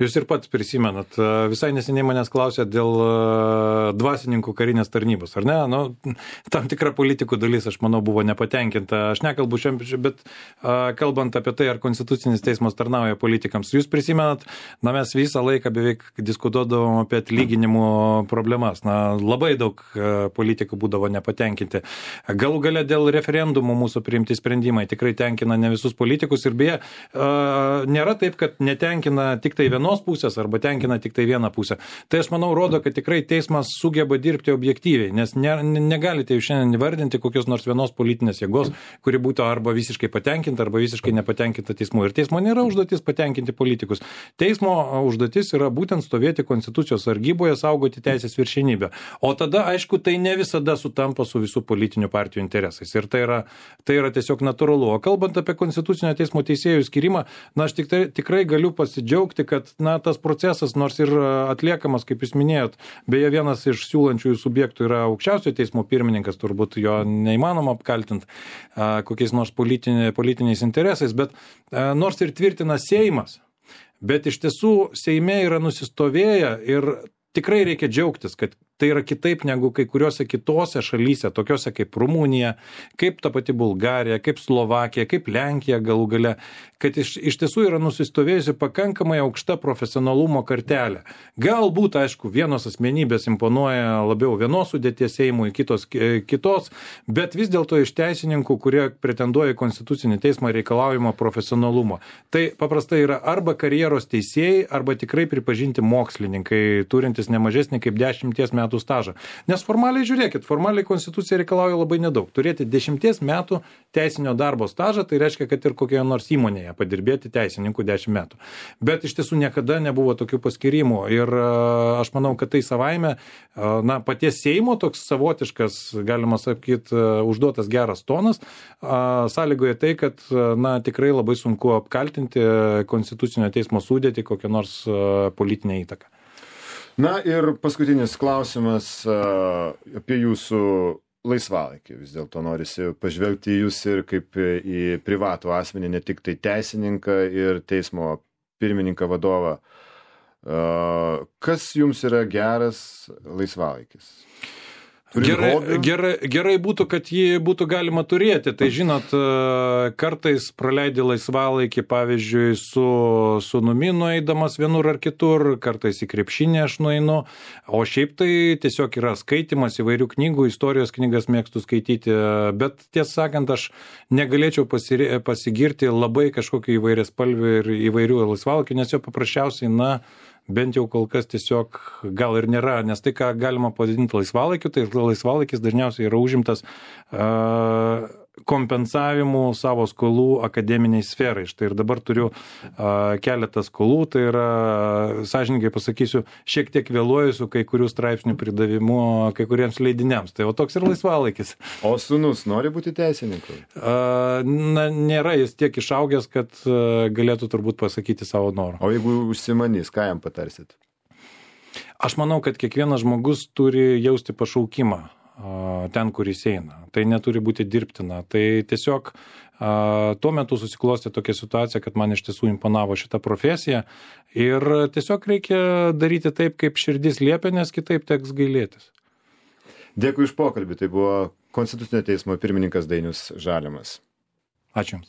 Jūs ir pats prisimenat, visai neseniai manęs klausėt dėl dvasininkų karinės tarnybos, ar ne? Nu, tam tikra politikų dalis, aš manau, buvo nepatenkinta. Aš nekalbu šiandien, bet kalbant apie tai, ar Konstitucinis teismas tarnauja politikams. Jūs prisimenat, mes visą laiką beveik diskutuodavom apie atlyginimų problemas. Labai daug politikų būdavo nepatenkinti. Galų gale dėl referendumų mūsų priimti sprendimai tikrai tenkina ne visus politikus ir beje, nėra taip, kad netenkina tik tai vienos pusės arba tenkina tik tai vieną pusę. Tai aš manau rodo, kad tikrai teismas sugeba dirbti objektyviai, nes negalite jūs šiandien įvardinti kokios nors vienos politinės jėgos, kuri būtų arba visiškai patenkinta, arba visiškai nepatenkinta teismu. Ir teismo nėra užduotis patenkinti politikus. Teismo užduotis yra būtent stovėti Konstitucijos sargyboje, saugoti teisės viršenybę. O tada, aišku, tai ne visada sutampa su visų politinių partijų interesais. Ir tai yra tiesiog natūralu. O kalbant apie Konstitucinio teismo teisėjų skirimą, aš tikrai galiu pasidžiaugti, kad tas procesas, nors ir atliekamas, kaip jūs minėjot, beje, vienas iš siūlančiųjų subjektų yra aukščiausiojo teismo pirmininkas, turbūt jo neįmanoma apkaltinti kokiais nors politiniais interesais, bet nors ir tvirtina Seimas, bet iš tiesų Seime yra nusistovėję ir tikrai reikia džiaugtis, kad tai yra kitaip negu kai kuriuose kitose šalyse, tokiuose kaip Rumunija, kaip ta pati Bulgarija, kaip Slovakija, kaip Lenkija galų gale, kad iš tiesų yra nusistovėjusi pakankamai aukšta profesionalumo kartelė. Galbūt, aišku, vienos asmenybės imponuoja labiau vienos sudėties Seimui, kitos, bet vis dėlto iš teisininkų, kurie pretenduoja į Konstitucinį teismą, reikalaujama profesionalumo. Tai paprastai yra arba karjeros teisėjai, arba tikrai pripažinti mokslininkai, turintys ne mažesnį kaip 10 metų stažą. Nes formaliai, žiūrėkit, formaliai Konstitucija reikalauja labai nedaug. Turėti 10 metų teisinio darbo stažą, tai reiškia, kad ir kokioje nors įmonėje padirbėti teisininkų 10 metų. Bet iš tiesų niekada nebuvo tokių paskirimų. Ir aš manau, kad tai savaime, paties Seimo toks savotiškas, galima sakyti, užduotas geras tonas, sąlygoja tai, kad tikrai labai sunku apkaltinti Konstitucinio teismo sudėtį kokią nors politinę įtaką. Na ir paskutinis klausimas apie jūsų laisvalaikį. Vis dėlto norisi pažvelgti į jūs ir kaip į privatų asmenį, ne tik tai teisininką ir teismo pirmininką vadovą. Kas jums yra geras laisvalaikis? Gerai būtų, kad jį būtų galima turėti. Tai žinot, kartais praleidi laisvalaikį, pavyzdžiui, su sūnumi nueidamas vienur ar kitur, kartais į krepšinį aš nueinu, o šiaip tai tiesiog yra skaitimas įvairių knygų, istorijos knygas mėgstu skaityti, bet tiesą sakant, aš negalėčiau pasigirti labai kažkokiu įvairiaspalviu ir įvairių laisvalaikių, nes jo paprasčiausiai, bent jau kol kas tiesiog gal ir nėra, nes tai, ką galima pavadinti laisvalaikiu, tai laisvalaikis dažniausiai yra užimtas kompensavimu savo skolų akademiniai sferai. Štai ir dabar turiu keletą skolų, tai yra, sąžininkai pasakysiu, šiek tiek vėluoju su kai kurių straipsnių pridavimu kai kuriems leidiniams. Tai toks ir laisvalaikis. O sūnus nori būti teisininku? Nėra jis tiek išaugęs, kad galėtų turbūt pasakyti savo norą. O jeigu užsimanys, ką jam patarsit? Aš manau, kad kiekvienas žmogus turi jausti pašaukimą. ten, kur jis eina. Tai neturi būti dirbtina. Tai tiesiog tuo metu susiklostė tokia situacija, kad man iš tiesų imponavo šitą profesiją ir tiesiog reikia daryti taip, kaip širdis liepia, nes kitaip teks gailėtis. Dėkui už pokalbį. Tai buvo Konstitucinio teismo pirmininkas Dainius Žalimas. Ačiū Jums.